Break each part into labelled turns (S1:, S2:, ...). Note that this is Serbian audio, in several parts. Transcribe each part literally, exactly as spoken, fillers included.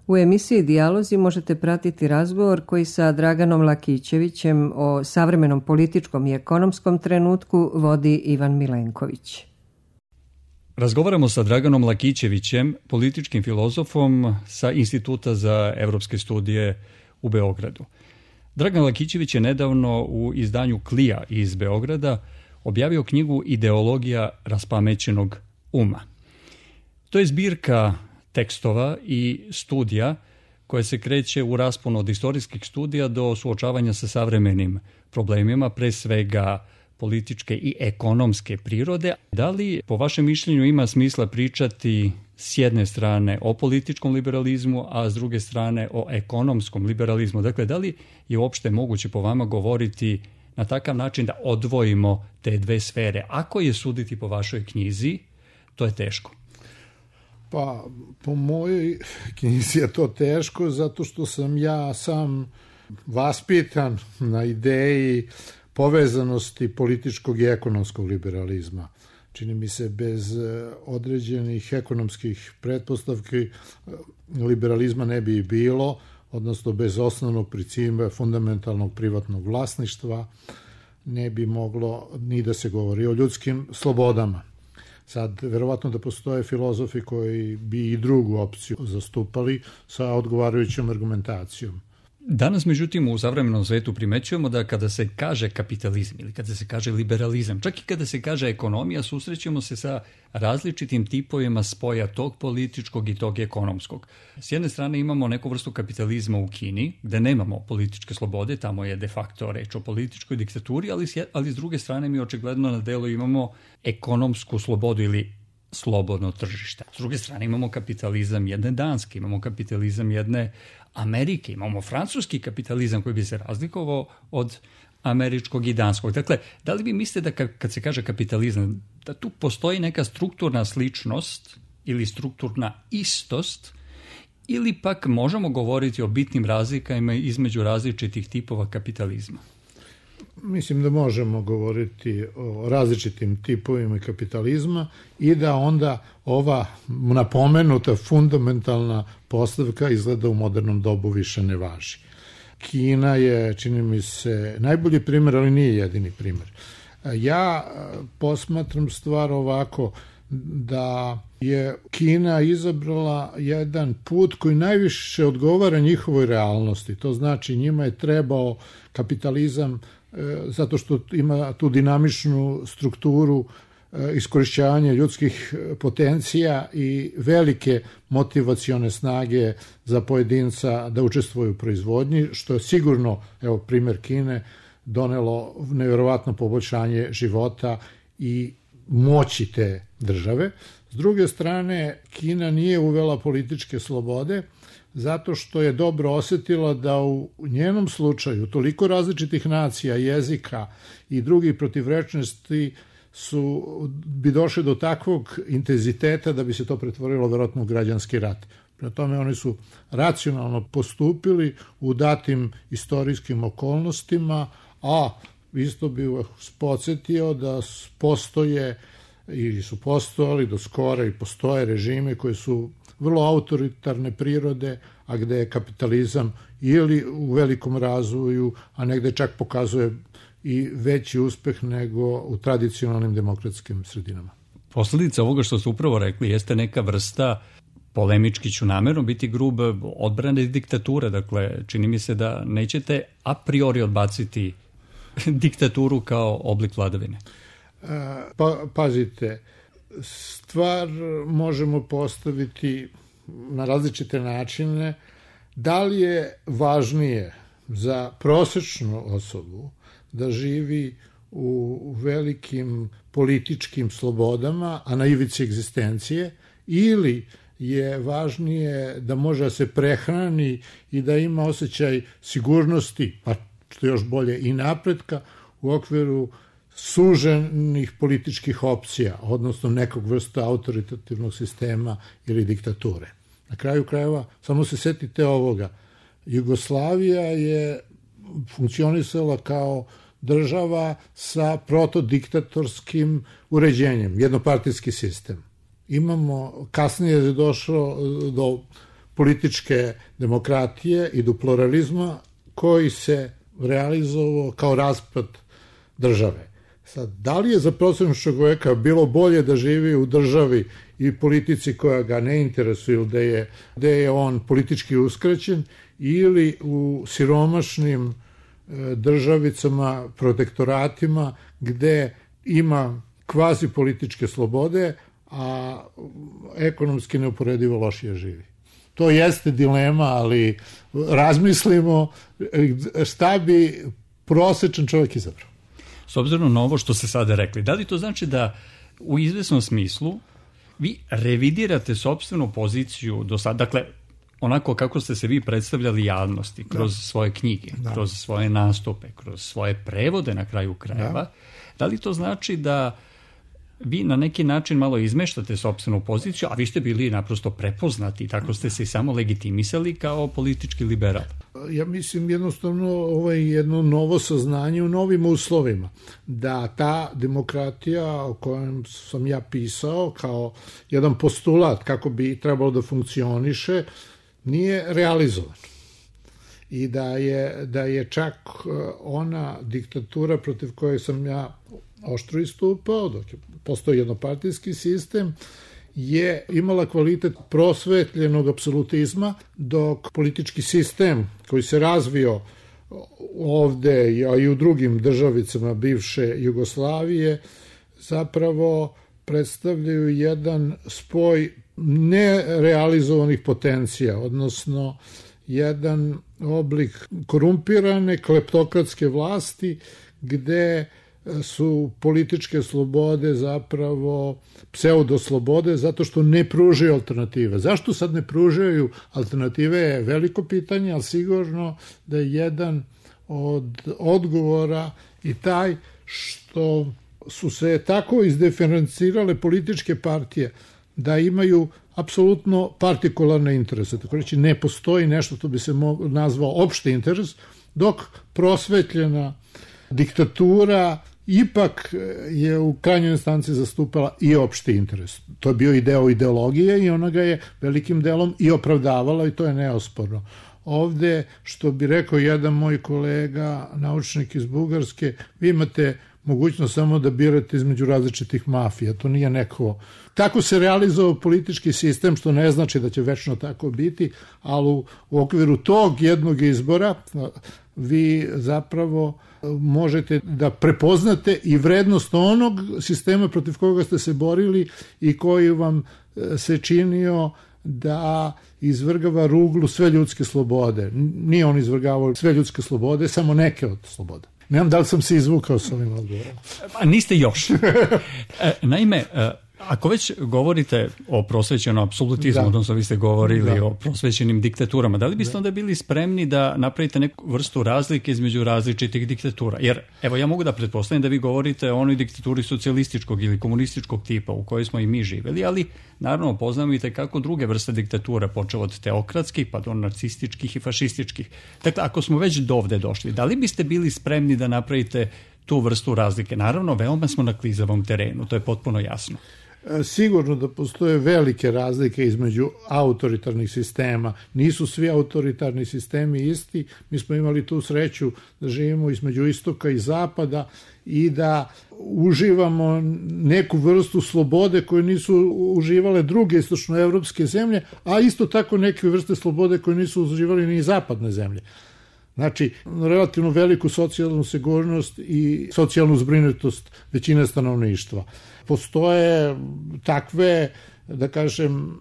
S1: U emisiji Dijalozi možete pratiti razgovor koji sa Draganom Lakićevićem o savremenom političkom i ekonomskom trenutku vodi Ivan Milenković.
S2: Razgovaramo sa Draganom Lakićevićem, političkim filozofom sa Instituta za evropske studije u Beogradu. Dragan Lakićević je nedavno u izdanju Klija iz Beograda objavio knjigu Ideologija raspamećenog uma. To je zbirka tekstova i studija koje se kreće u rasponu od istorijskih studija do suočavanja sa savremenim problemima, pre svega političke i ekonomske prirode. Da li po vašem mišljenju ima smisla pričati s jedne strane o političkom liberalizmu, a s druge strane o ekonomskom liberalizmu? Dakle, da li je uopšte moguće po vama govoriti na takav način da odvojimo te dve sfere? Ako je suditi po vašoj knjizi, to je teško.
S3: Pa, po mojoj knjizi je to teško zato što sam ja sam vaspitan na ideji povezanosti političkog i ekonomskog liberalizma. Čini mi se, bez određenih ekonomskih pretpostavki liberalizma ne bi bilo, odnosno bez osnovnog principa fundamentalnog privatnog vlasništva ne bi moglo ni da se govori o ljudskim slobodama. Sad, verovatno da postoje filozofi koji bi i drugu opciju zastupali sa odgovarajućom argumentacijom.
S2: Danas, međutim, u savremenom svetu primećujemo da kada se kaže kapitalizam ili kada se kaže liberalizam, čak i kada se kaže ekonomija, susrećemo se sa različitim tipovima spoja tog političkog i tog ekonomskog. S jedne strane imamo neku vrstu kapitalizma u Kini, gde nemamo političke slobode, tamo je de facto reč o političkoj diktaturi, ali, ali s druge strane mi očigledno na delu imamo ekonomsku slobodu ili slobodno tržište. S druge strane imamo kapitalizam jedne Danske, imamo kapitalizam jedne Amerike, imamo francuski kapitalizam koji bi se razlikovao od američkog i danskog. Dakle, da li vi mislite da kad se kaže kapitalizam, da tu postoji neka strukturna sličnost ili strukturna istost, ili pak možemo govoriti o bitnim razlikama između različitih tipova kapitalizma?
S3: Mislim da možemo govoriti o različitim tipovima kapitalizma i da onda ova napomenuta fundamentalna postavka izgleda u modernom dobu više ne važi. Kina je, čini mi se, najbolji primjer, ali nije jedini primjer. Ja posmatram stvar ovako, da je Kina izabrala jedan put koji najviše odgovara njihovoj realnosti. To znači njima je trebao kapitalizam zato što ima tu dinamičnu strukturu iskorišćavanja ljudskih potencija i velike motivacione snage za pojedinca da učestvuje u proizvodnji, što je sigurno, evo primjer Kine, donelo nevjerovatno poboljšanje života i moći te države. S druge strane, Kina nije uvela političke slobode zato što je dobro osetila da u njenom slučaju toliko različitih nacija, jezika i drugih protivrečnosti su, bi došli do takvog intenziteta da bi se to pretvorilo verovatno u građanski rat. Prema tome oni su racionalno postupili u datim istorijskim okolnostima, a isto bih vas podsjetio da postoje ili su postojali do skora i postoje režime koji su vrlo autoritarne prirode, a gde je kapitalizam ili u velikom razvoju, a negde čak pokazuje i veći uspeh nego u tradicionalnim demokratskim sredinama.
S2: Posledica ovoga što ste upravo rekli jeste neka vrsta, polemički ću namerno biti grub, odbrane diktature. Dakle, čini mi se da nećete a priori odbaciti diktaturu kao oblik vladavine.
S3: Pa, pazite, stvar možemo postaviti na različite načine. Da li je važnije za prosečnu osobu da živi u velikim političkim slobodama, a na ivici egzistencije, ili je važnije da može da se prehrani i da ima osjećaj sigurnosti, pa što još bolje i napretka u okviru suženih političkih opcija, odnosno nekog vrsta autoritativnog sistema ili diktature. Na kraju krajeva, samo se setite ovoga, Jugoslavija je funkcionisala kao država sa protodiktatorskim uređenjem, jednopartijski sistem. Imamo, kasnije je došlo do političke demokratije i do pluralizma koji se realizovao kao raspad države. Sad, da li je za prosječnog čoveka bilo bolje da živi u državi i politici koja ga ne interesuje, gde je, gde je on politički uskraćen, ili u siromašnim državicama, protektoratima, gde ima kvazi političke slobode, a ekonomski neuporedivo lošije živi. To jeste dilema, ali razmislimo šta bi prosječan čovjek izabrao.
S2: S obzirom na ovo što ste sada rekli, da li to znači da u izvesnom smislu vi revidirate sopstvenu poziciju do sada, dakle, onako kako ste se vi predstavljali javnosti, kroz da. svoje knjige, da. kroz svoje nastupe, kroz svoje prevode na kraju krajeva, da. da li to znači da vi na neki način malo izmeštate sopstvenu poziciju, a vi ste bili naprosto prepoznati, tako ste se i samo legitimisali kao politički liberal?
S3: Ja mislim jednostavno ovo je jedno novo saznanje u novim uslovima, da ta demokratija o kojem sam ja pisao kao jedan postulat kako bi trebalo da funkcioniše, nije realizovan. I da je, da je čak ona diktatura protiv koje sam ja oštro istupao, dok je postoji jednopartijski sistem, je imala kvalitet prosvetljenog apsolutizma, dok politički sistem koji se razvio ovde, a i u drugim državicama bivše Jugoslavije, zapravo predstavljaju jedan spoj nerealizovanih potencija, odnosno jedan oblik korumpirane kleptokratske vlasti, gde su političke slobode zapravo pseudoslobode zato što ne pružaju alternative. Zašto sad ne pružaju alternative je veliko pitanje, ali sigurno da je jedan od odgovora i taj što su se tako izdiferencirale političke partije da imaju apsolutno partikularne interese. Tako reći, ne postoji nešto što bi se nazvao opšti interes, dok prosvetljena diktatura ipak je u krajnjoj instanci zastupala i opšti interes. To je bio i deo ideologije i ona ga je velikim delom i opravdavala i to je neosporno. Ovde, što bi rekao jedan moj kolega, naučnik iz Bugarske, vi imate mogućnost samo da birate između različitih mafija. To nije neko... Tako se realizovao politički sistem, što ne znači da će večno tako biti, ali u, u okviru tog jednog izbora vi zapravo možete da prepoznate i vrednost onog sistema protiv koga ste se borili i koji vam se činio da izvrgava ruglu sve ljudske slobode. Nije on izvrgavao sve ljudske slobode, samo neke od slobode. Ne znam da li sam se izvukao s ovim odgovorom.
S2: Pa niste još. Naime, ako već govorite o prosvećenom apsolutizmu, da. odnosno vi ste govorili da. o prosvećenim diktaturama, da li biste da. onda bili spremni da napravite neku vrstu razlike između različitih diktatura? Jer, evo, ja mogu da pretpostavim da vi govorite o onoj diktaturi socijalističkog ili komunističkog tipa u kojoj smo i mi živeli, ali naravno poznajete kako druge vrste diktatura, počeo od teokratskih pa do nacističkih i fašističkih. Dakle, ako smo već dovde došli, da li biste bili spremni da napravite tu vrstu razlike? Naravno, veoma smo na klizavom terenu, to je potpuno jasno.
S3: Sigurno da postoje velike razlike između autoritarnih sistema. Nisu svi autoritarni sistemi isti. Mi smo imali tu sreću da živimo između istoka i zapada i da uživamo neku vrstu slobode koju nisu uživale druge istočnoevropske zemlje, a isto tako neke vrste slobode koje nisu uživali ni zapadne zemlje. Znači, relativno veliku socijalnu sigurnost i socijalnu zbrinutost većine stanovništva. Postoje takve, da kažem,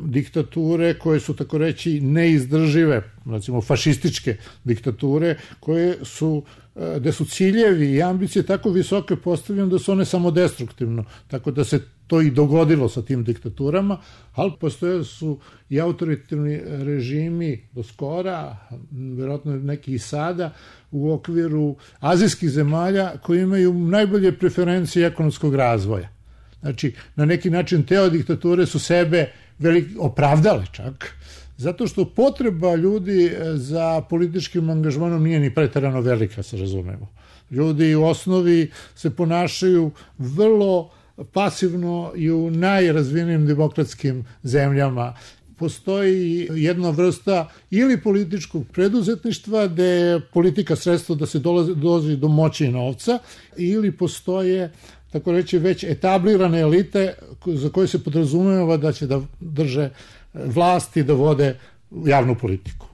S3: diktature koje su, tako reći, neizdržive, recimo fašističke diktature, koje su, gde su ciljevi i ambicije tako visoke postavljene da su one samodestruktivno, tako da se to i dogodilo sa tim diktaturama, ali postoje su i autoritarni režimi do skora, vjerojatno neki i sada, u okviru azijskih zemalja koji imaju najbolje preferencije ekonomskog razvoja. Znači, na neki način te diktature su sebe velik, opravdale čak, zato što potreba ljudi za političkim angažmanom nije ni preterano velika, se razumemo. Ljudi u osnovi se ponašaju vrlo pasivno i u najrazvijenijim demokratskim zemljama postoji jedna vrsta ili političkog preduzetništva gde je politika sredstvo da se dolazi, dolazi do moći i novca, ili postoje, tako reći, već etablirane elite za koje se podrazumeva da će da drže vlasti, da vode javnu politiku.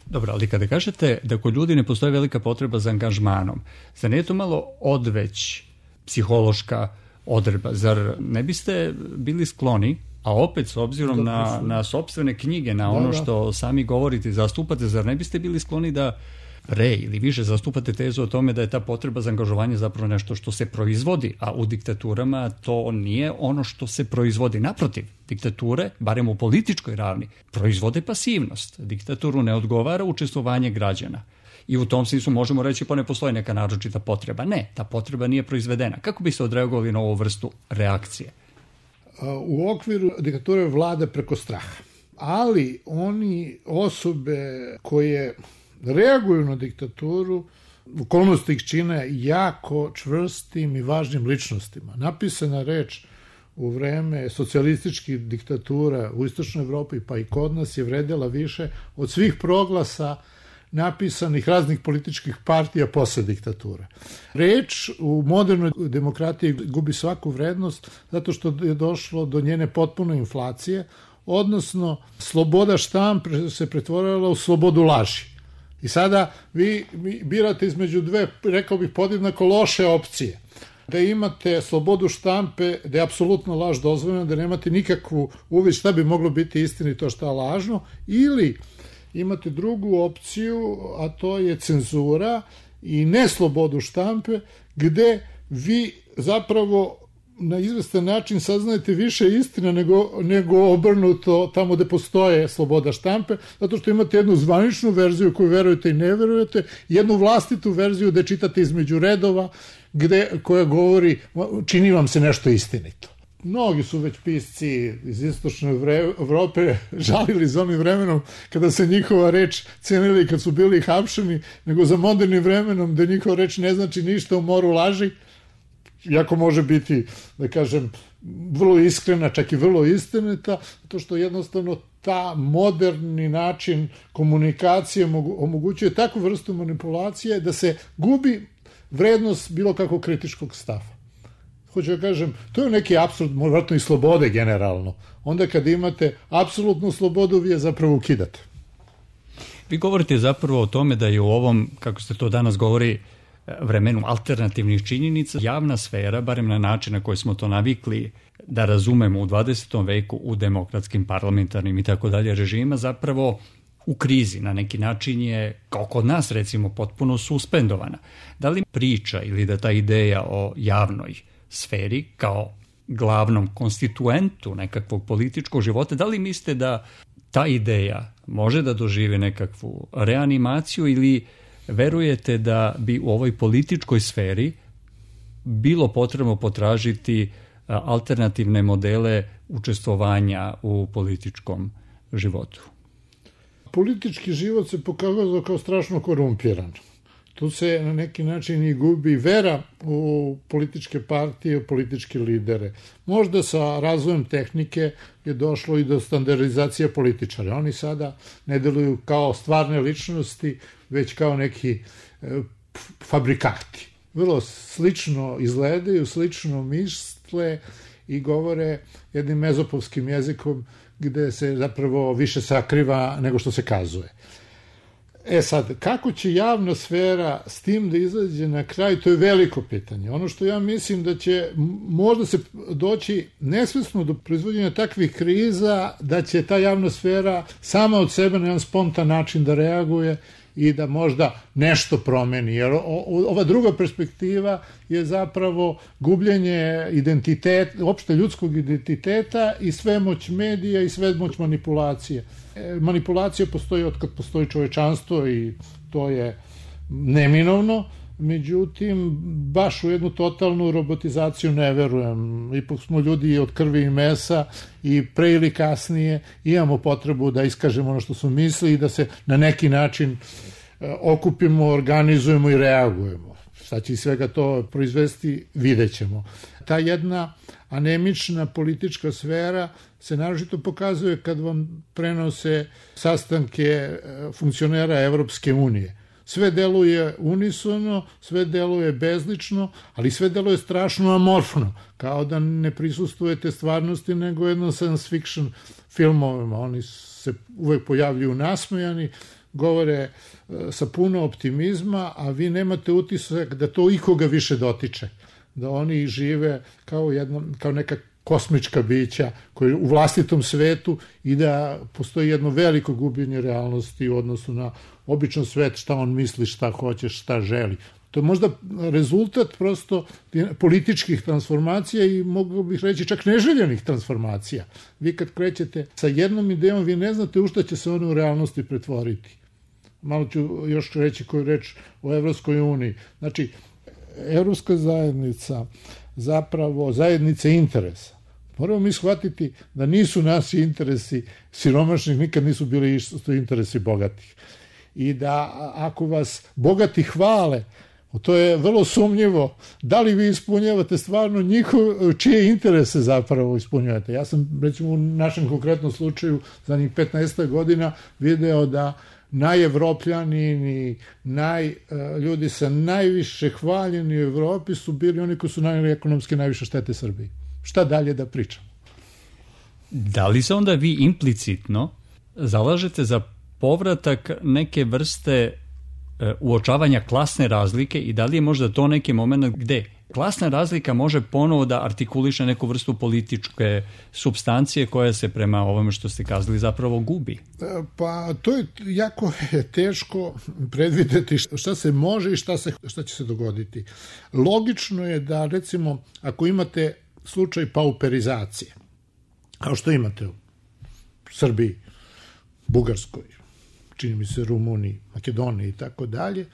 S2: Dobro, ali kada kažete da kod ljudi ne postoji velika potreba za angažmanom, zar nije to malo odveć psihološka odredba? Zar ne biste bili skloni, a opet s obzirom na, na sopstvene knjige, na ono što sami govorite i zastupate, zar ne biste bili skloni da pre ili više zastupate tezu o tome da je ta potreba za angažovanje zapravo nešto što se proizvodi, a u diktaturama to nije ono što se proizvodi. Naprotiv, diktature, barem u političkoj ravni, proizvode pasivnost. Diktaturu ne odgovara učestvovanje građana. I u tom smislu možemo reći pa ne postoji neka naročita potreba. Ne, ta potreba nije proizvedena. Kako biste odreagovali na ovu vrstu reakcije?
S3: U okviru diktature vlada preko straha. Ali oni osobe koje reaguju na diktaturu, okolnosti ih čine jako čvrstim i važnim ličnostima. Napisana reč u vreme socijalističkih diktatura u Istočnoj Evropi pa i kod nas je vredela više od svih proglasa napisanih raznih političkih partija posle diktature. Reč u modernoj demokratiji gubi svaku vrednost zato što je došlo do njene potpune inflacije, odnosno sloboda štampe se pretvorila u slobodu laži. I sada vi birate između dve, rekao bih, podjednako loše opcije. Da imate slobodu štampe, da je apsolutno laž dozvoljena, da nemate nikakvu uvid šta bi moglo biti istinito, šta lažno, ili imate drugu opciju, a to je cenzura i neslobodu štampe, gde vi zapravo na izvestan način saznajete više istina nego, nego obrnuto tamo gde postoje sloboda štampe, zato što imate jednu zvaničnu verziju koju verujete i ne verujete, jednu vlastitu verziju gde čitate između redova, gde, koja govori čini vam se nešto istinito. Mnogi su već pisci iz Istočne Evrope žalili za onim vremenom kada se njihova reč cenili kad su bili hapšeni, nego za modernim vremenom da njihova reč ne znači ništa u moru laži, iako može biti, da kažem, vrlo iskrena, čak i vrlo istinita, zato što jednostavno ta moderni način komunikacije omogućuje takvu vrstu manipulacije da se gubi vrednost bilo kakvog kritičkog stava. Hoću da kažem, to je neki apsurd, vjerojatno i slobode generalno. Onda kad imate apsolutnu slobodu, vi je zapravo ukidate.
S2: Vi govorite zapravo o tome da je u ovom, kako se to danas govori, vremenu alternativnih činjenica, javna sfera, barem na način na koji smo to navikli da razumemo u dvadesetom veku u demokratskim, parlamentarnim i tako dalje režima, zapravo u krizi. Na neki način je, kao kod nas recimo, potpuno suspendovana. Da li priča ili da ta ideja o javnoj sferi kao glavnom konstituentu nekakvog političkog života, da li mislite da ta ideja može da doživi nekakvu reanimaciju ili verujete da bi u ovoj političkoj sferi bilo potrebno potražiti alternativne modele učestvovanja u političkom životu?
S3: Politički život se pokazao kao strašno korumpiran. Tu se na neki način i gubi vera u političke partije, u političke lidere. Možda sa razvojem tehnike je došlo i do standardizacije političara. Oni sada ne deluju kao stvarne ličnosti, već kao neki e, fabrikati. Vrlo slično izgledaju, slično misle i govore jednim mezopovskim jezikom gde se zapravo više sakriva nego što se kazuje. E sad, kako će javna sfera s tim da izađe na kraj, to je veliko pitanje. Ono što ja mislim da će možda se doći nesvesno do proizvođenja takvih kriza, da će ta javna sfera sama od sebe na jedan spontan način da reaguje i da možda nešto promeni. Jer ova druga perspektiva je zapravo gubljenje identiteta, opšte ljudskog identiteta i svemoć medija i svemoć manipulacije. Manipulacija postoji od kad postoji čovečanstvo i to je neminovno, međutim, baš u jednu totalnu robotizaciju ne verujem. Ipak smo ljudi od krvi i mesa i pre ili kasnije imamo potrebu da iskažemo ono što smo mislili i da se na neki način okupimo, organizujemo i reagujemo. Šta će iz svega to proizvesti, vidjet ćemo. Ta jedna anemična politička sfera se naročito pokazuje kad vam prenose sastanke funkcionera Evropske unije. Sve deluje unisono, sve deluje bezlično, ali sve deluje strašno amorfno, kao da ne prisustujete stvarnosti, nego jedno science fiction filmovima. Oni se uvek pojavljuju nasmejani, govore sa puno optimizma, a vi nemate utisak da to ikoga više dotiče. Da oni žive kao, jedna, kao neka kosmička bića koji u vlastitom svetu i da postoji jedno veliko gubljenje realnosti u odnosu na običan svet, šta on misli, šta hoće, šta želi. To je možda rezultat prosto političkih transformacija i mogu bih reći čak neželjenih transformacija. Vi kad krećete sa jednom idejom, vi ne znate u šta će se ono u realnosti pretvoriti. Malo ću još reći koju reč o Evropskoj uniji. Znači, Evropska zajednica, zapravo zajednice interesa. Moramo mi shvatiti da nisu naši interesi siromašnih, nikad nisu bili isto interesi bogatih. I da ako vas bogati hvale, to je vrlo sumnjivo, da li vi ispunjavate stvarno njihov, čije interese zapravo ispunjavate. Ja sam, recimo, u našem konkretnom slučaju zadnjih petnaest godina video da najevropljani, naj, ljudi sa najviše hvaljeni u Evropi su bili oni koji su nanijeli ekonomski najviše štete Srbiji. Šta dalje da pričam?
S2: Da li se onda vi implicitno zalažete za povratak neke vrste uočavanja klasne razlike i da li je možda to neki moment gde klasna razlika može ponovo da artikuliše neku vrstu političke supstancije koja se prema ovome što ste kazali zapravo gubi?
S3: Pa to je jako teško predvideti šta se može i šta, se, šta će se dogoditi. Logično je da, recimo, ako imate slučaj pauperizacije, kao što imate u Srbiji, Bugarskoj, čini mi se Rumuniji, Makedoniji i tako dalje,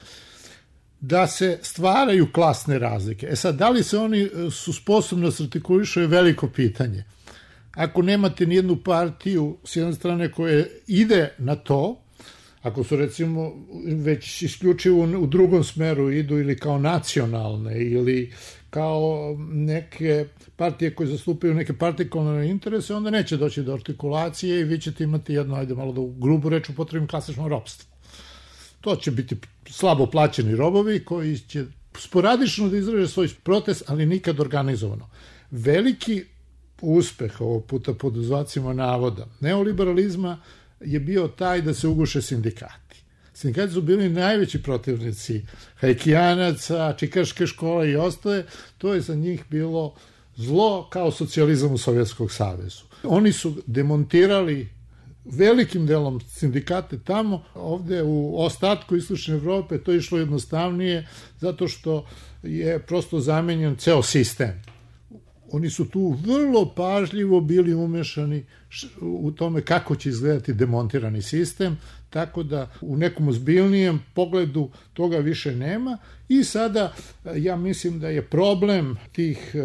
S3: da se stvaraju klasne razlike. E sad, da li se oni su sposobni da se artikulišu je veliko pitanje. Ako nemate nijednu partiju s jedne strane koja ide na to, ako su recimo već isključivo u drugom smeru idu ili kao nacionalne ili kao neke partije koje zastupaju neke partikularne interese, onda neće doći do artikulacije i vi ćete imati jedno, ajde malo da u grubu reč upotrebim, klasično ropstvo. To će biti slabo plaćeni robovi koji će sporadično da izraže svoj protest, ali nikad organizovano. Veliki uspeh ovog puta pod znacima navoda neoliberalizma je bio taj da se uguše sindikati. Sindikati su bili najveći protivnici hajkijanaca, čikaške škole i ostale. To je za njih bilo zlo kao socijalizam u Sovjetskom savezu. Oni su demontirali velikim delom sindikate tamo, ovde u ostatku istočne Evrope to je išlo jednostavnije zato što je prosto zamenjen ceo sistem. Oni su tu vrlo pažljivo bili umešani u tome kako će izgledati demontirani sistem, tako da u nekom ozbiljnijem pogledu toga više nema i sada ja mislim da je problem tih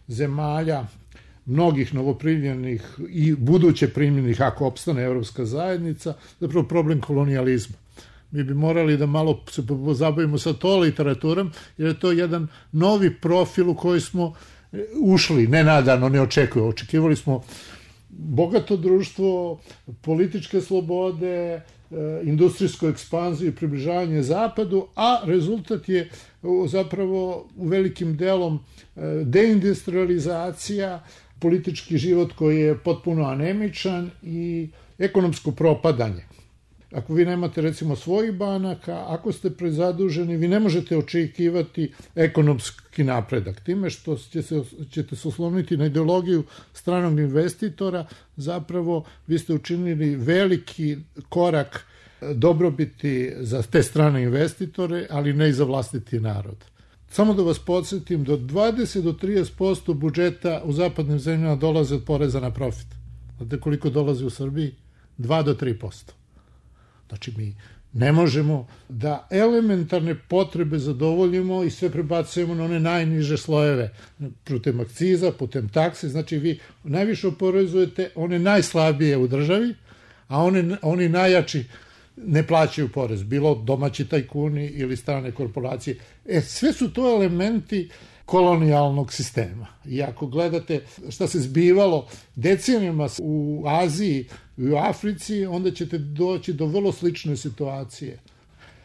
S3: zemalja, mnogih novoprimljenih i buduće primljenih, ako opstane Evropska zajednica, zapravo problem kolonijalizma. Mi bi morali da malo se pozabavimo sa to literaturom, jer je to jedan novi profil u koji smo ušli, nenadano, ne očekujemo. Očekivali smo bogato društvo, političke slobode, industrijsku ekspanziju i približavanje zapadu, a rezultat je zapravo u velikim delom deindustrializacija, politički život koji je potpuno anemičan i ekonomsko propadanje. Ako vi nemate recimo svojih banaka, ako ste prezaduženi, vi ne možete očekivati ekonomski napredak. Time što će se, ćete se osloniti na ideologiju stranog investitora, zapravo vi ste učinili veliki korak dobrobiti za te strane investitore, ali ne i za vlastiti narod. Samo da vas podsjetim, do dvadeset do trideset posto budžeta u zapadnim zemljama dolaze od poreza na profit. Znate koliko dolazi u Srbiji? dva do tri posto. Znači, mi ne možemo da elementarne potrebe zadovoljimo i sve prebacujemo na one najniže slojeve, putem akciza, putem takse. Znači, vi najviše oporezujete one najslabije u državi, a one, oni najjači ne plaćaju porez, bilo domaći tajkuni ili strane korporacije. E, sve su to elementi kolonijalnog sistema. I ako gledate šta se zbivalo decenijama u Aziji i u Africi, onda ćete doći do vrlo slične situacije.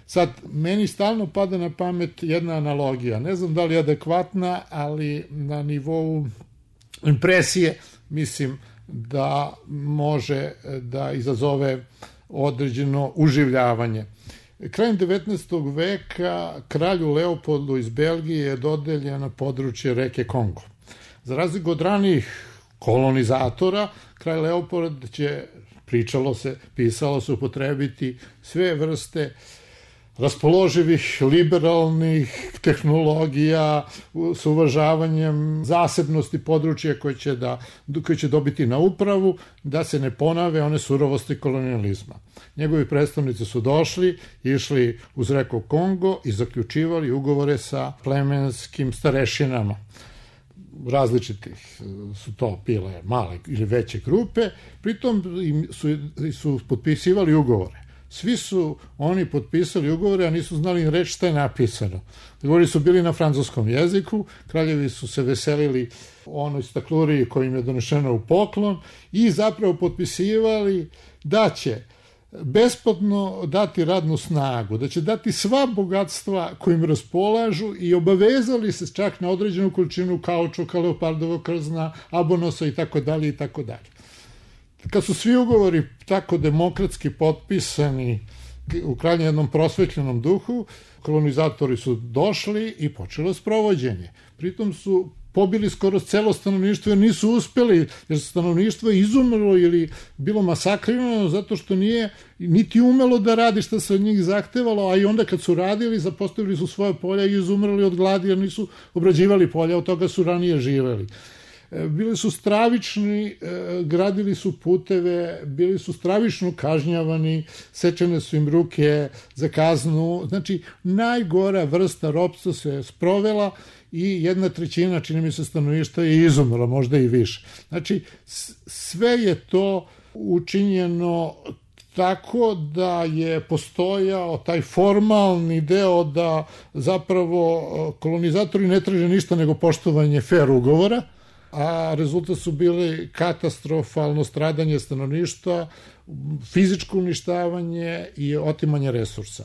S3: Sad, meni stalno pada na pamet jedna analogija. Ne znam da li je adekvatna, ali na nivou impresije mislim da može da izazove određeno uživljavanje. Krajem devetnaestog veka kralju Leopoldu iz Belgije je dodeljeno područje reke Kongo. Za razliku od ranijih kolonizatora, kralj Leopold će, pričalo se, pisalo se, upotrebiti sve vrste raspoloživih, liberalnih tehnologija s uvažavanjem zasebnosti područja koje će, da, koje će dobiti na upravu, da se ne ponave one surovosti kolonijalizma. Njegovi predstavnici su došli, išli uz reku Kongo i zaključivali ugovore sa plemenskim starešinama. Različitih su to bile male ili veće grupe, pritom su, su potpisivali ugovore. Svi su oni potpisali ugovore, a nisu znali reći šta je napisano. Ugovori su bili na francuskom jeziku, kraljevi su se veselili onoj stakluriji koja im je donešena u poklon i zapravo potpisivali da će besplatno dati radnu snagu, da će dati sva bogatstva kojim raspolažu i obavezali se čak na određenu količinu kaučuka, leopardovog krzna, abonosa i tako dalje i tako dalje. Kad su svi ugovori tako demokratski potpisani u krajnje jednom prosvetljenom duhu, kolonizatori su došli i počelo sprovođenje. Pritom su pobili skoro celo stanovništvo jer nisu uspeli, jer stanovništvo je izumrlo ili bilo masakrirano zato što nije niti umelo da radi što se od njih zahtevalo, a i onda kad su radili, zapostavili su svoje polja i izumrli od gladi jer nisu obrađivali polja, od toga su ranije živeli. Bili su stravični, gradili su puteve, bili su stravično kažnjavani, sečene su im ruke za kaznu. Znači, najgora vrsta ropstva se sprovela i jedna trećina, čini mi se, stanovništva je izumrla, možda i više. Znači, sve je to učinjeno tako da je postojao taj formalni deo da zapravo kolonizatori ne traže ništa nego poštovanje fer ugovora, a rezultat su bili katastrofalno stradanje stanovništva, fizičko uništavanje i otimanje resursa.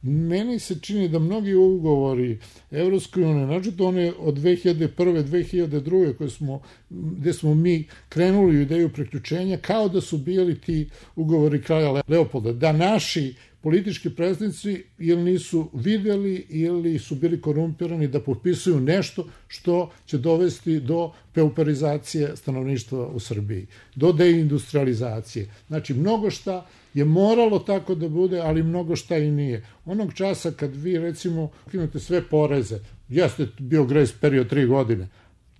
S3: Meni se čini da mnogi ugovori Evropske unije, naročito one od dve hiljade prve. do dve hiljade druge. koje smo, gde smo mi krenuli u ideju priključenja, kao da su bili ti ugovori kralja Leopolda, da naši politički predstavnici ili nisu videli ili su bili korumpirani da potpisuju nešto što će dovesti do pauperizacije stanovništva u Srbiji, do deindustrializacije. Znači, mnogo šta je moralo tako da bude, ali mnogo šta i nije. Onog časa kad vi, recimo, ukinete sve poreze, jeste bio grace period tri godine,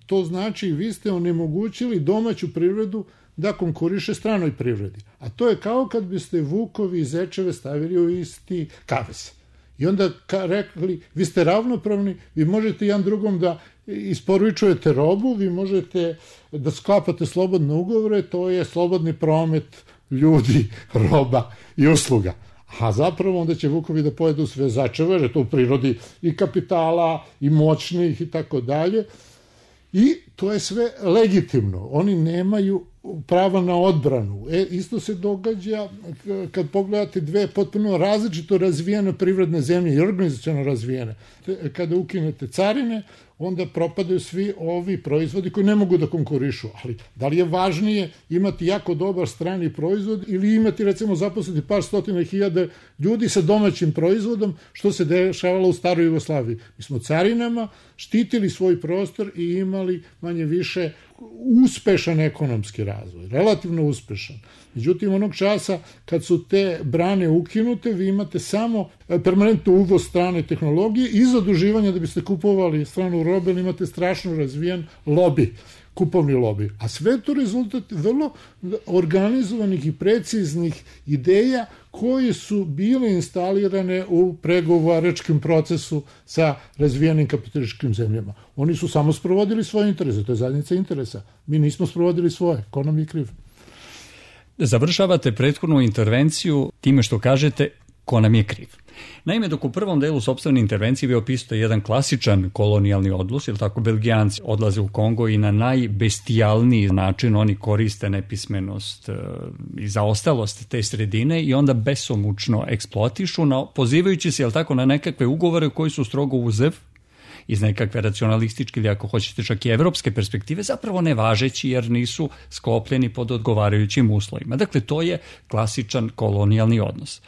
S3: to znači vi ste onemogućili domaću privredu da konkuriše stranoj privredi. A to je kao kad biste vukovi i zečeve stavili u isti kavez. I onda rekli, vi ste ravnopravni, vi možete jedan drugom da isporučujete robu, vi možete da sklapate slobodne ugovore, to je slobodni promet ljudi, roba i usluga. A zapravo onda će vukovi da pojedu sve začeve, jer je to u prirodi i kapitala, i moćnih i tako dalje. I to je sve legitimno. Oni nemaju prava na odbranu. E, isto se događa kad pogledate dve potpuno različito razvijene privredne zemlje i organizaciono razvijene. Kada ukinete carine, onda propadaju svi ovi proizvodi koji ne mogu da konkurišu. Ali da li je važnije imati jako dobar strani proizvod ili imati, recimo, zaposliti par stotina hiljada ljudi sa domaćim proizvodom, što se dešavalo u staroj Jugoslaviji. Mi smo carinama štitili svoj prostor i imali manje više uspešan ekonomski razvoj, relativno uspešan. Međutim, onog časa kad su te brane ukinute, vi imate samo permanentno uvoz strane tehnologije i zaduživanje da biste kupovali stranu robe, ali imate strašno razvijen lobi, kupovni lobi. A sve to rezultat vrlo organizovanih i preciznih ideja koje su bile instalirane u pregovaračkom procesu sa razvijenim kapitalističkim zemljama. Oni su samo sprovodili svoje interese, to je zajednica interesa. Mi nismo sprovodili svoje, ko nam je kriv?
S2: Završavate prethodnu intervenciju time što kažete ko nam je kriv. Naime, dok u prvom delu sopstvene intervencije vi opisujete jedan klasičan kolonijalni odnos, jer tako Belgijanci odlaze u Kongo i na najbestijalniji način oni koriste nepismenost i zaostalost te sredine i onda besomučno eksploatišu, na, pozivajući se, jel tako, na nekakve ugovore koji su strogo uzev iz nekakve racionalističke ili ako hoćete čak i evropske perspektive, zapravo nevažeći jer nisu sklopljeni pod odgovarajućim uslovima. Dakle, to je klasičan kolonijalni odnos.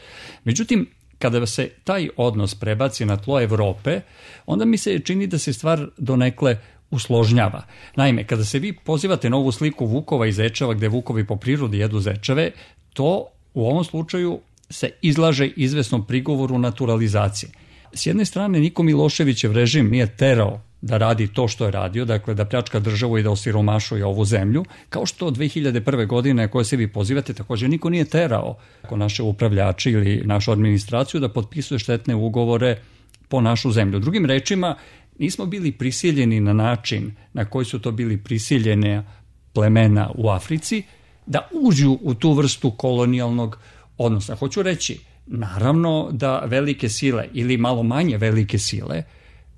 S2: Međutim, kada se taj odnos prebaci na tlo Evrope, onda mi se čini da se stvar donekle usložnjava. Naime, kada se vi pozivate na ovu sliku vukova i zečeva, gde vukovi po prirodi jedu zečeve, to u ovom slučaju se izlaže izvesnom prigovoru naturalizacije. S jedne strane, Niko Miloševićev režim nije terao da radi to što je radio, dakle da pljačka državu i da osiromašuje ovu zemlju, kao što dve hiljade prve. godine koje se vi pozivate, također niko nije terao ako naše upravljače ili našu administraciju da potpisuje štetne ugovore po našu zemlju. Drugim rečima, nismo bili prisiljeni na način na koji su to bili prisiljene plemena u Africi da uđu u tu vrstu kolonijalnog odnosa. Hoću reći, naravno da velike sile ili malo manje velike sile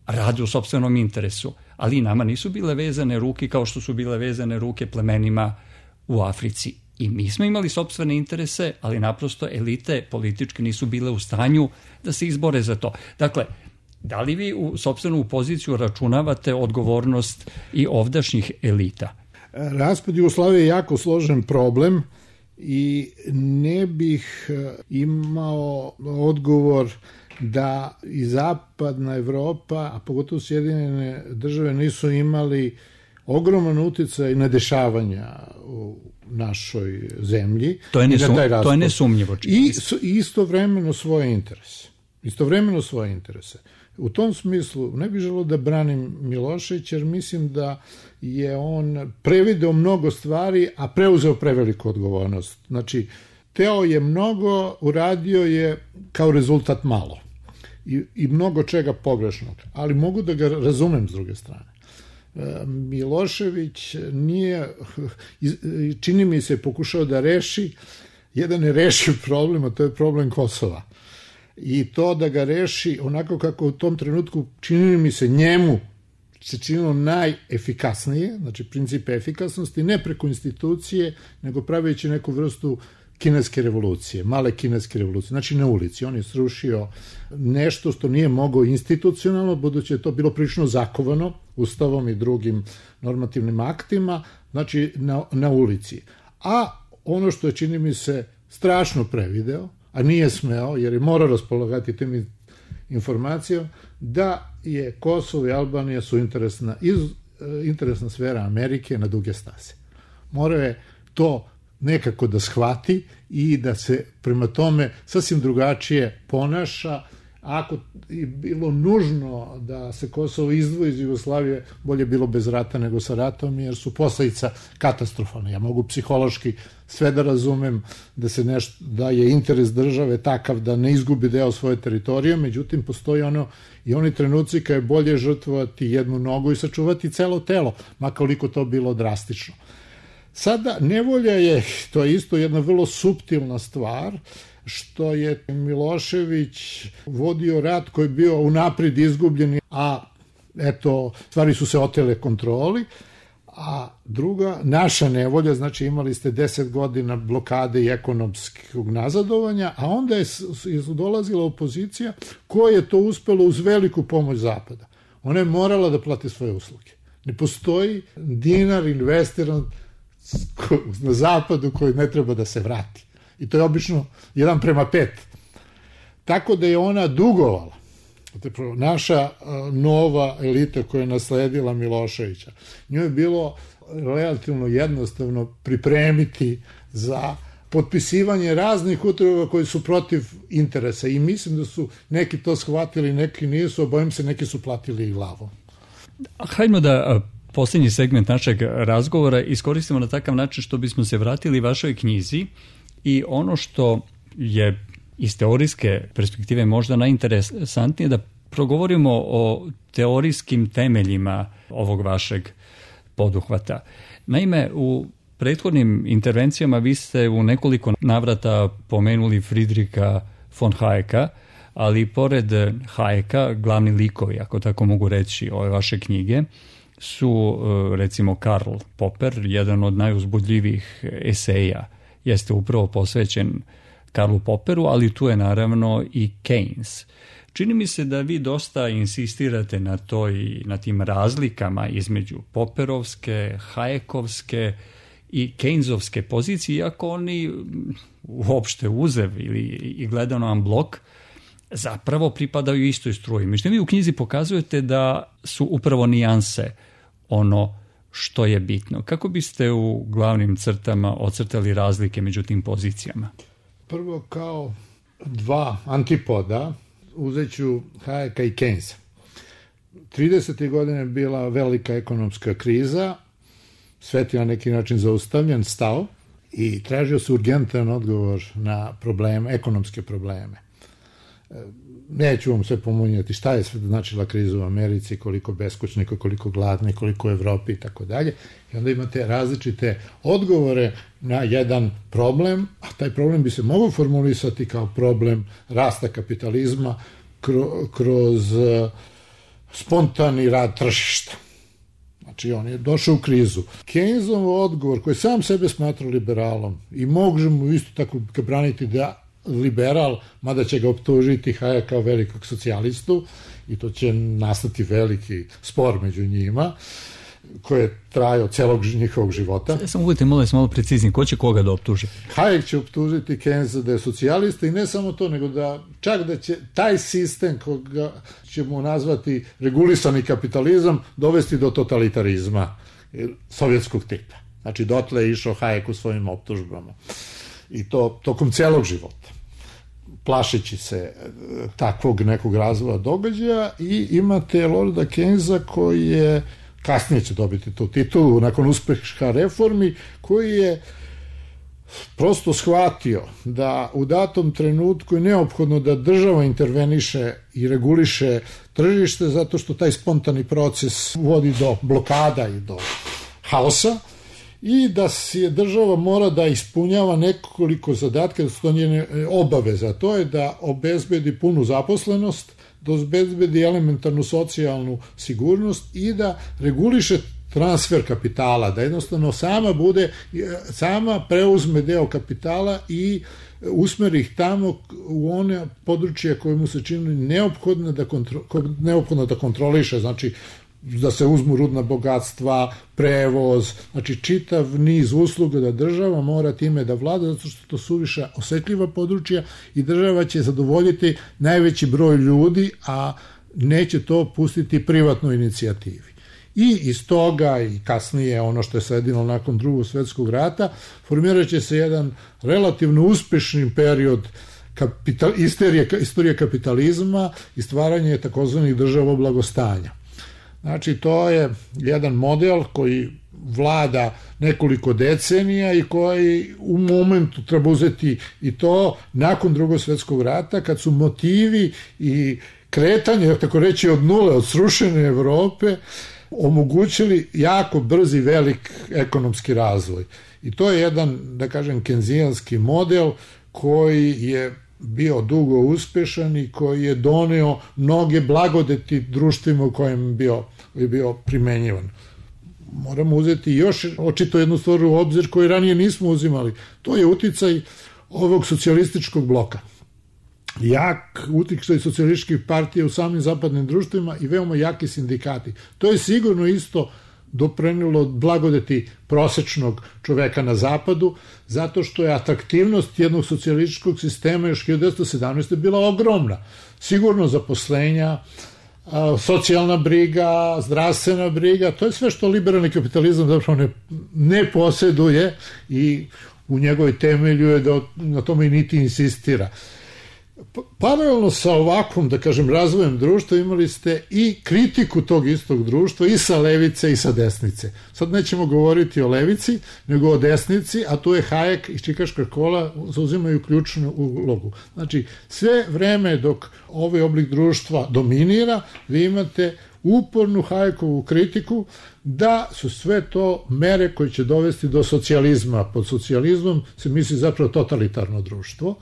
S2: rade u sopstvenom interesu, ali i nama nisu bile vezane ruke kao što su bile vezane ruke plemenima u Africi. I mi smo imali sopstvene interese, ali naprosto elite političke nisu bile u stanju da se izbore za to. Dakle, da li vi u sopstvenu poziciju računavate odgovornost i ovdašnjih elita?
S3: Raspad Jugoslavije je jako složen problem i ne bih imao odgovor da i zapadna Evropa, a pogotovo Sjedinjene države, nisu imali ogroman uticaj na dešavanja u našoj zemlji.
S2: To je, nesum, to je nesumnjivo.
S3: I istovremeno svoje interese. Istovremeno svoje interese. U tom smislu ne bih želeo da branim Miloševića, jer mislim da je on prevideo mnogo stvari, a preuzeo preveliku odgovornost. Znači, teo je mnogo, uradio je kao rezultat malo. I, i mnogo čega pogrešnog. Ali mogu da ga razumem s druge strane. Milošević nije, čini mi se, pokušao da reši jedan nerešiv problem, a to je problem Kosova. I to da ga reši onako kako u tom trenutku čini mi se njemu se činilo najefikasnije, znači princip efikasnosti, ne preko institucije, nego praveći neku vrstu kineske revolucije, male kineske revolucije, znači na ulici. On je srušio nešto što nije mogao institucionalno, budući je to bilo prilično zakovano ustavom i drugim normativnim aktima, znači na, na ulici. A ono što je, čini mi se, strašno prevideo, a nije smeo, jer je morao raspolagati tim informacijom, da je Kosovo i Albanija su interesna, iz, interesna sfera Amerike na duge staze. Morao je to nekako da shvati i da se prema tome sasvim drugačije ponaša. Ako je bilo nužno da se Kosovo izdvoji iz Jugoslavije, bolje bilo bez rata nego sa ratom, jer su posledica katastrofalne. Ja mogu psihološki sve da razumem da se nešto, da je interes države takav da ne izgubi deo svoje teritorije, međutim postoji ono i oni trenuci kada je bolje žrtvovati jednu nogu i sačuvati celo telo, makoliko to bilo drastično. Sada, nevolja je, to je isto jedna vrlo suptilna stvar, što je Milošević vodio rat koji je bio unaprijed izgubljen, a eto, stvari su se otele kontroli, a druga, naša nevolja, znači imali ste deset godina blokade i ekonomskog nazadovanja, a onda je dolazila opozicija koja je to uspelo uz veliku pomoć Zapada. Ona je morala da plati svoje usluge. Ne postoji dinar investiran na Zapadu koji ne treba da se vrati. I to je obično jedan prema pet. Tako da je ona dugovala. Naša nova elita koja je nasledila Miloševića, njoj je bilo relativno jednostavno pripremiti za potpisivanje raznih utrova koji su protiv interesa. I mislim da su neki to shvatili, neki nisu, a bojim se neki su platili i glavom.
S2: Hajdemo da posljednji segment našeg razgovora iskoristimo na takav način što bismo se vratili vašoj knjizi i ono što je iz teorijske perspektive možda najinteresantnije da progovorimo o teorijskim temeljima ovog vašeg poduhvata. Naime, u prethodnim intervencijama vi ste u nekoliko navrata pomenuli Friedricha von Hayeka, ali pored Hayeka, glavni likovi, ako tako mogu reći, ove vaše knjige, su recimo Karl Popper, jedan od najuzbudljivijih eseja, jeste upravo posvećen Karlu Popperu, ali tu je naravno i Keynes. Čini mi se da vi dosta insistirate na toj, na tim razlikama između Popperovske, Hayekovske i Keynesovske pozicije, iako oni uopšte uzev ili i gledano vam blok zapravo pripadaju istoj struji. Međutim, vi u knjizi pokazujete da su upravo nijanse ono što je bitno. Kako biste u glavnim crtama ocrtali razlike među tim pozicijama?
S3: Prvo, kao dva antipoda, uzet ću Hayeka i Keynesa. tridesetih godina je bila velika ekonomska kriza, svet je na neki način zaustavljen, stao i tražio se urgentan odgovor na probleme, ekonomske probleme. Neću vam sve pomunjati šta je sve značila kriza u Americi, koliko beskućnika, koliko gladni, koliko u Evropi i tako dalje. I onda imate različite odgovore na jedan problem, a taj problem bi se mogao formulisati kao problem rasta kapitalizma kroz spontani rad tržišta. Znači, on je došao u krizu. Keynesov odgovor, koji sam sebe smatra liberalom i možemo isto tako ga braniti da liberal, mada će ga optužiti Hayek kao velikog socijalistu i to će nastati veliki spor među njima koji je trajao celog njihovog života.
S2: Samo budete molim malo precizni, ko će koga da optuži?
S3: Hayek će optužiti Keynesa da je socijalista i ne samo to, nego da čak da će taj sistem koga ćemo nazvati regulisani kapitalizam dovesti do totalitarizma sovjetskog tipa. Znači, dotle je išao Hayek u svojim optužbama. I to tokom celog života, plašeći se takvog nekog razvoja događaja. I imate Lorda Keynesa koji je, kasnije će dobiti tu titulu nakon uspeha reformi, koji je prosto shvatio da u datom trenutku je neophodno da država interveniše i reguliše tržište, zato što taj spontani proces vodi do blokada i do haosa, i da si država mora da ispunjava nekoliko zadatka, da su to njene obaveze, a to je da obezbedi punu zaposlenost, da obezbedi elementarnu socijalnu sigurnost i da reguliše transfer kapitala, da jednostavno sama bude, sama preuzme deo kapitala i usmeri ih tamo u one područje koje mu se čini neophodno da, kontro, neophodno da kontroliše, znači da se uzmu rudna bogatstva, prevoz, znači čitav niz usluga da država mora time da vlada, zato što to su više osetljiva područja i država će zadovoljiti najveći broj ljudi, a neće to pustiti privatnoj inicijativi. I iz toga i kasnije ono što je sledilo nakon Drugog svjetskog rata, formirat će se jedan relativno uspešni period kapital, istorije, istorije kapitalizma i stvaranje takozvanih država blagostanja. Znači, to je jedan model koji vlada nekoliko decenija i koji u momentu treba uzeti i to nakon Drugog svjetskog rata, kad su motivi i kretanje, tako reći, od nule, od srušene Evrope, omogućili jako brzi velik ekonomski razvoj. I to je jedan, da kažem, kenzijanski model koji je bio dugo uspešan i koji je doneo mnoge blagodeti društvima u kojem je bio, je bio primenjivan. Moramo uzeti još očito jednu stvar u obzir koju ranije nismo uzimali. To je uticaj ovog socijalističkog bloka. Jak uticaj socijalističkih partija u samim zapadnim društvima i veoma jaki sindikati. To je sigurno isto doprinelo blagodeti prosečnog čoveka na zapadu, zato što je atraktivnost jednog socijalističkog sistema još hiljadu devetsto sedamnaeste. bila ogromna. Sigurno zaposlenja, socijalna briga, zdravstvena briga, to je sve što liberalni kapitalizam zapravo ne, ne posjeduje i u njegovoj temelju je da na tome i niti insistira. Paralelno sa ovakvom, da kažem, razvojem društva imali ste i kritiku tog istog društva i sa levice i sa desnice. Sad nećemo govoriti o levici, nego o desnici, a tu je Hayek i Čikaška škola zauzimaju ključnu ulogu. Znači, sve vreme dok ovaj oblik društva dominira, vi imate upornu Hayekovu kritiku da su sve to mere koje će dovesti do socijalizma. Pod socijalizmom se misli zapravo totalitarno društvo.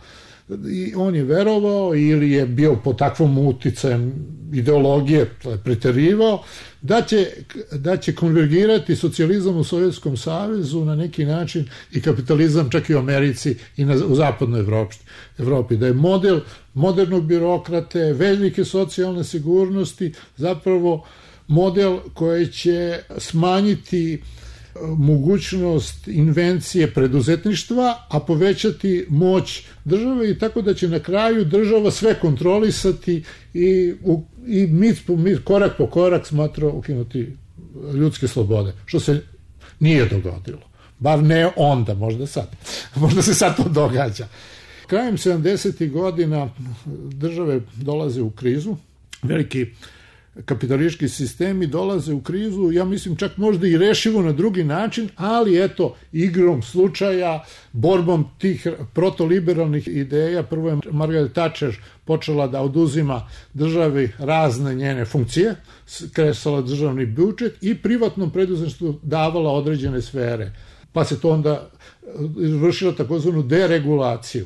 S3: I on je verovao ili je bio pod takvom uticajem ideologije, preterivao, da će, da će konvergirati socijalizam u Sovjetskom savezu na neki način i kapitalizam čak i u Americi i na, u zapadnoj Evropi, Evropi. Da je model modernog birokrate, velike socijalne sigurnosti, zapravo model koji će smanjiti mogućnost invencije preduzetništva, a povećati moć države i tako da će na kraju država sve kontrolisati i, u, i mit po mit, korak po korak smatra ukinuti ljudske slobode, što se nije dogodilo. Bar ne onda, možda sad. Možda se sad to događa. Krajem sedamdesetih godina države dolaze u krizu, veliki kapitalistički sistemi dolaze u krizu, ja mislim čak možda i rešivo na drugi način, ali eto, igrom slučaja, borbom tih protoliberalnih ideja, prvo je Margaret Thatcher počela da oduzima državi razne njene funkcije, kresala državni budžet i privatnom preduzetništvu davala određene sfere. Pa se to onda vršilo takozvanu deregulaciju.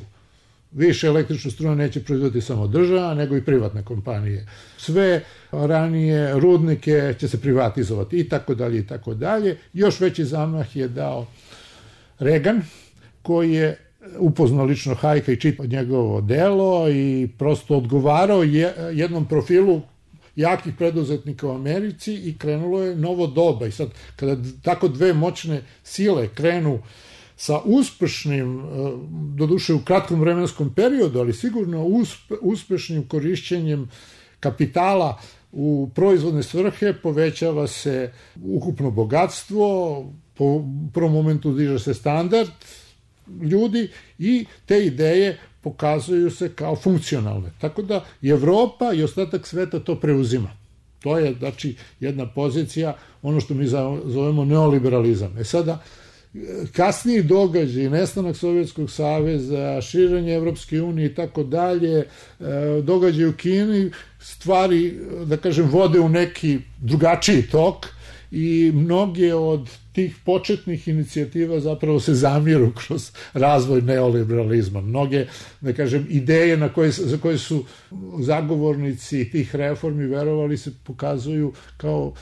S3: Više električnu struju neće proizvoditi samo država, nego i privatne kompanije. Sve ranije rudnike će se privatizovati i tako dalje i tako dalje. Još veći zamah je dao Reagan, koji je upoznao lično Hayeka i čitao njegovo delo i prosto odgovarao jednom profilu jakih preduzetnika u Americi i krenulo je novo doba. I sad, kada tako dve moćne sile krenu sa uspešnim, doduše u kratkom vremenskom periodu, ali sigurno uspe, uspešnim korišćenjem kapitala u proizvodne svrhe, povećava se ukupno bogatstvo, po prvom momentu diže se standard ljudi i te ideje pokazuju se kao funkcionalne. Tako da i Evropa i ostatak sveta to preuzima. To je, znači, jedna pozicija, ono što mi zovemo neoliberalizam. E sada, kasniji događaj, nestanak Sovjetskog saveza, širenje Evropske unije i tako dalje, događaj u Kini, stvari, da kažem, vode u neki drugačiji tok i mnoge od tih početnih inicijativa zapravo se zamiru kroz razvoj neoliberalizma. Mnoge, da kažem, ideje na koje, za koje su zagovornici tih reformi verovali se pokazuju kao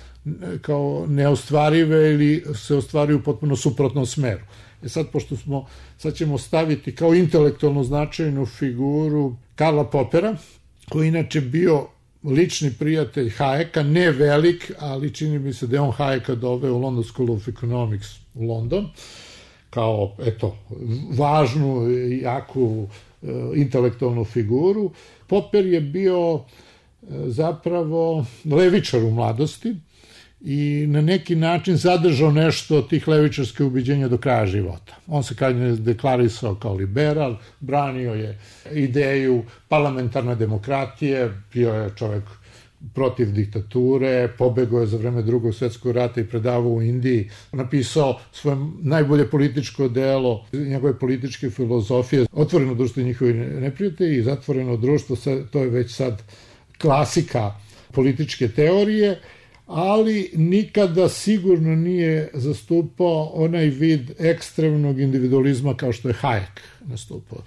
S3: kao neostvarive ili se ostvaruju potpuno suprotnom smeru. E sad, pošto smo, sad ćemo staviti kao intelektualno značajnu figuru Karla Popera, koji inače bio lični prijatelj Hayeka, ne velik, ali čini mi se da je on Hayeka doveo u London School of Economics u London, kao, eto, važnu i jaku e, intelektualnu figuru. Popper je bio e, zapravo levičar u mladosti, i na neki način zadržao nešto od tih levičarskih ubeđenja do kraja života. On se kasnije deklarisao kao liberal, branio je ideju parlamentarne demokratije, bio je čovjek protiv diktature, pobegao je za vreme Drugog svjetskog rata i predavao u Indiji, napisao svoje najbolje političko delo, njegove političke filozofije, Otvoreno društvo i njihovi neprijatelji i Zatvoreno društvo, to je već sad klasika političke teorije, ali nikada sigurno nije zastupao onaj vid ekstremnog individualizma kao što je Hayek nastupao.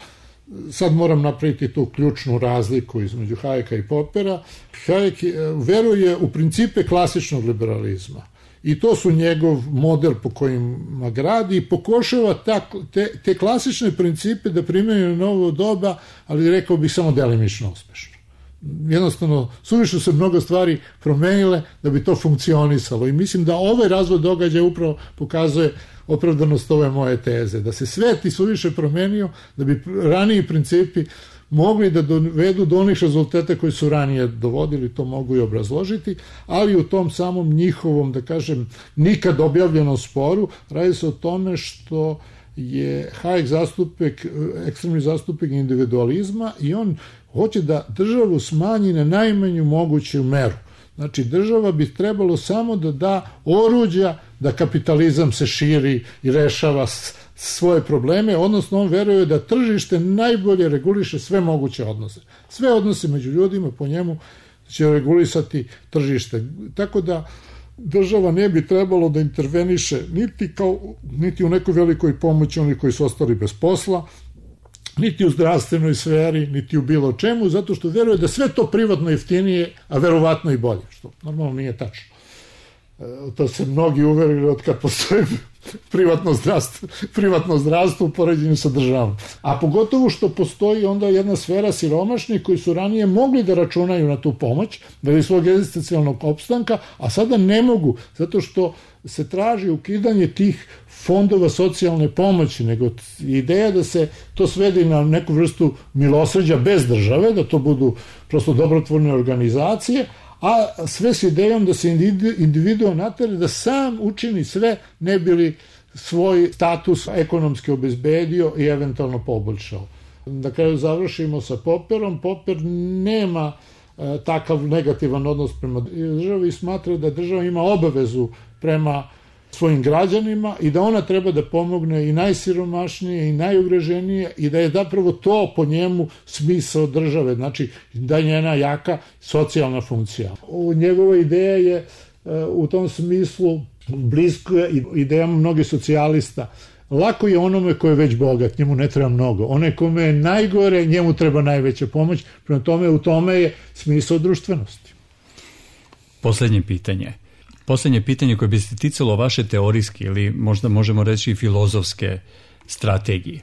S3: Sad moram napraviti tu ključnu razliku između Hayeka i Poppera. Hayek veruje u principe klasičnog liberalizma i to su njegov model po kojima gradi i pokušava ta, te, te klasične principe da primjenjuje na novo doba, ali rekao bih samo delimično uspešno. Jednostavno, suviše se mnogo stvari promenile da bi to funkcionisalo i mislim da ovaj razvoj događaja upravo pokazuje opravdanost ove moje teze, da se svet i suviše promenio, da bi raniji principi mogli da dovedu do onih rezultata koji su ranije dovodili, to mogu i obrazložiti, ali u tom samom njihovom, da kažem, nikad objavljenom sporu, radi se o tome što je Hayek zastupnik, ekstremni zastupnik individualizma i on hoće da državu smanji na najmanju moguću meru. Znači, država bi trebalo samo da da oruđa da kapitalizam se širi i rešava svoje probleme, odnosno on veruje da tržište najbolje reguliše sve moguće odnose. Sve odnose među ljudima po njemu će regulisati tržište. Tako da država ne bi trebalo da interveniše niti, kao, niti u nekoj velikoj pomoći oni koji su ostali bez posla, niti u zdravstvenoj sferi, niti u bilo čemu, zato što veruje da sve to privatno jeftinije, a verovatno i bolje, što normalno nije tačno. To se mnogi uverili od kad postoji privatno zdravstvo, privatno zdravstvo u poređenju sa državom. A pogotovo što postoji onda jedna sfera siromašnih koji su ranije mogli da računaju na tu pomoć, radi svog egzistencijalnog opstanka, a sada ne mogu, zato što se traži ukidanje tih fondova socijalne pomoći, nego ideja da se to svedi na neku vrstu milosrđa bez države, da to budu prosto dobrotvorne organizacije, a sve s idejom da se individuo natere da sam učini sve ne bi li svoj status ekonomski obezbedio i eventualno poboljšao. Da kraju završimo sa Popperom. Popper nema e, takav negativan odnos prema državi i smatra da država ima obavezu prema svojim građanima i da ona treba da pomogne i najsiromašnije i najugroženije i da je zapravo to po njemu smisao države, znači da je njena jaka socijalna funkcija. Njegova ideja je u tom smislu blisko idejama mnogih socijalista. Lako je onome ko je već bogat, njemu ne treba mnogo. Onaj kome je najgore, njemu treba najveća pomoć, prema tome u tome je smisao društvenosti.
S2: Posljednje pitanje. Posljednje pitanje koje bi se ticalo vaše teorijske ili možda možemo reći i filozofske strategije.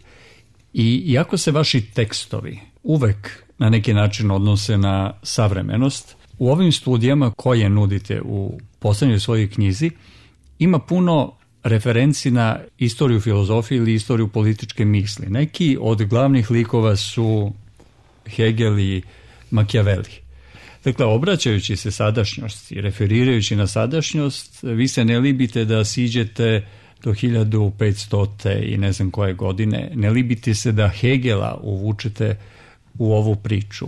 S2: I iako se vaši tekstovi uvek na neki način odnose na savremenost, u ovim studijama koje nudite u posljednjoj svojoj knjizi ima puno referenci na istoriju filozofije ili istoriju političke misli. Neki od glavnih likova su Hegel i Machiavelli. Dakle, obraćajući se sadašnjosti, referirajući na sadašnjost, vi se ne libite da siđete do hiljadu petstote i ne znam koje godine, ne libite se da Hegela uvučete u ovu priču.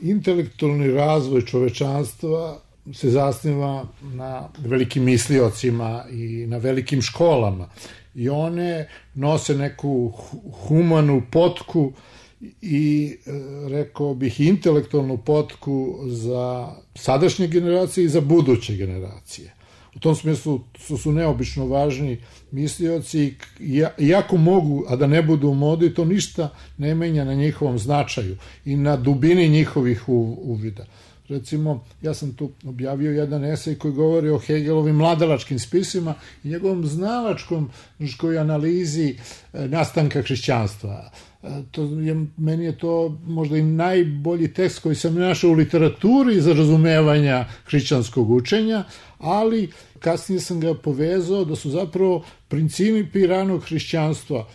S3: Intelektualni razvoj čovečanstva se zasniva na velikim misliocima i na velikim školama i one nose neku humanu potku i rekao bih intelektualnu potku za sadašnje generacije i za buduće generacije. U tom smislu su, su neobično važni mislioci i iako mogu, a da ne budu u modi, to ništa ne menja na njihovom značaju i na dubini njihovih uvida. Recimo, ja sam tu objavio jedan esej koji govori o Hegelovim mladalačkim spisima i njegovom znalačkom analizi nastanka hrišćanstva. To je, meni je to možda i najbolji tekst koji sam našao u literaturi za razumevanja hrišćanskog učenja, ali kasnije sam ga povezao da su zapravo principi ranog hrišćanstva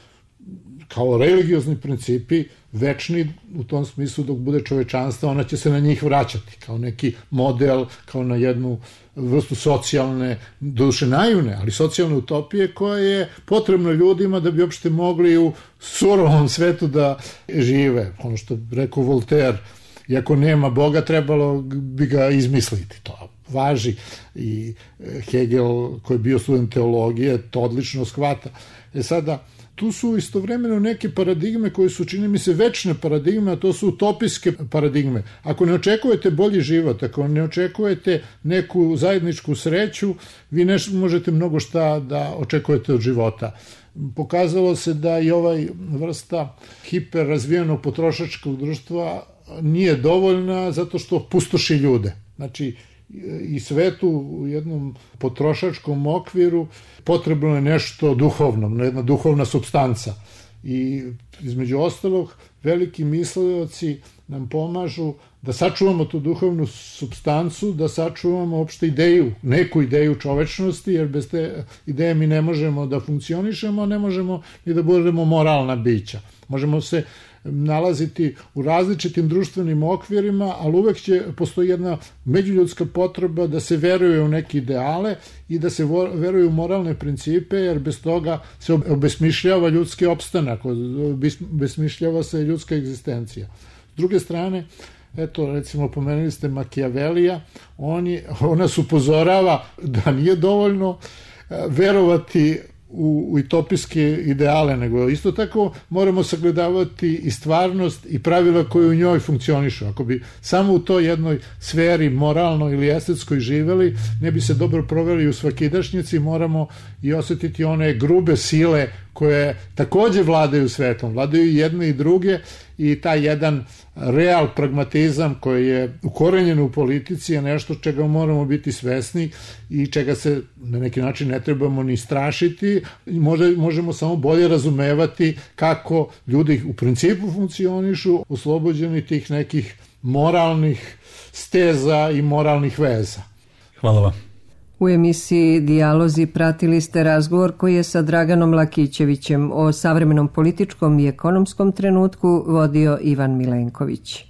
S3: kao religiozni principi večni u tom smislu dok bude čovečanstva, ona će se na njih vraćati kao neki model, kao na jednu vrstu socijalne, doduše naivne, ali socijalne utopije koja je potrebna ljudima da bi uopšte mogli u surovom svetu da žive. Ono što rekao Voltaire, iako nema Boga, trebalo bi ga izmisliti. To važi i Hegel, koji je bio student teologije, to odlično shvata. E sada, tu su istovremeno neke paradigme koje su, čini mi se, večne paradigme, a to su utopijske paradigme. Ako ne očekujete bolji život, ako ne očekujete neku zajedničku sreću, vi ne možete mnogo šta da očekujete od života. Pokazalo se da i ovaj vrsta hiperrazvijenog potrošačkog društva nije dovoljna zato što pustoši ljude. Znači, i svetu u jednom potrošačkom okviru potrebno je nešto duhovno, jedna duhovna supstanca. I između ostalog, veliki mislioci nam pomažu da sačuvamo tu duhovnu supstancu, da sačuvamo opšte ideju, neku ideju čovečnosti, jer bez te ideje mi ne možemo da funkcionišemo, ne možemo ni da budemo moralna bića. Možemo se nalaziti u različitim društvenim okvirima, ali uvek će postoji jedna međuljudska potreba da se veruje u neke ideale i da se veruje u moralne principe, jer bez toga se obesmišljava ljudski opstanak, obesmišljava se ljudska egzistencija. S druge strane, eto, recimo, pomenuli ste Machiavellija, on, je, on nas upozorava da nije dovoljno verovati u utopijske ideale, nego isto tako moramo sagledavati i stvarnost i pravila koje u njoj funkcionišu. Ako bi samo u toj jednoj sferi moralnoj ili estetskoj živeli, ne bi se dobro proveli u svakidašnjici, moramo i osjetiti one grube sile koje takođe vladaju svetom, vladaju jedne i druge, i taj jedan real pragmatizam koji je ukorenjen u politici je nešto čega moramo biti svesni i čega se na neki način ne trebamo ni strašiti. Može, možemo samo bolje razumevati kako ljudi u principu funkcionišu, oslobođeni tih nekih moralnih steza i moralnih veza.
S2: Hvala vam.
S1: U emisiji Dijalozi pratili ste razgovor koji je sa Draganom Lakićevićem o savremenom političkom i ekonomskom trenutku vodio Ivan Milenković.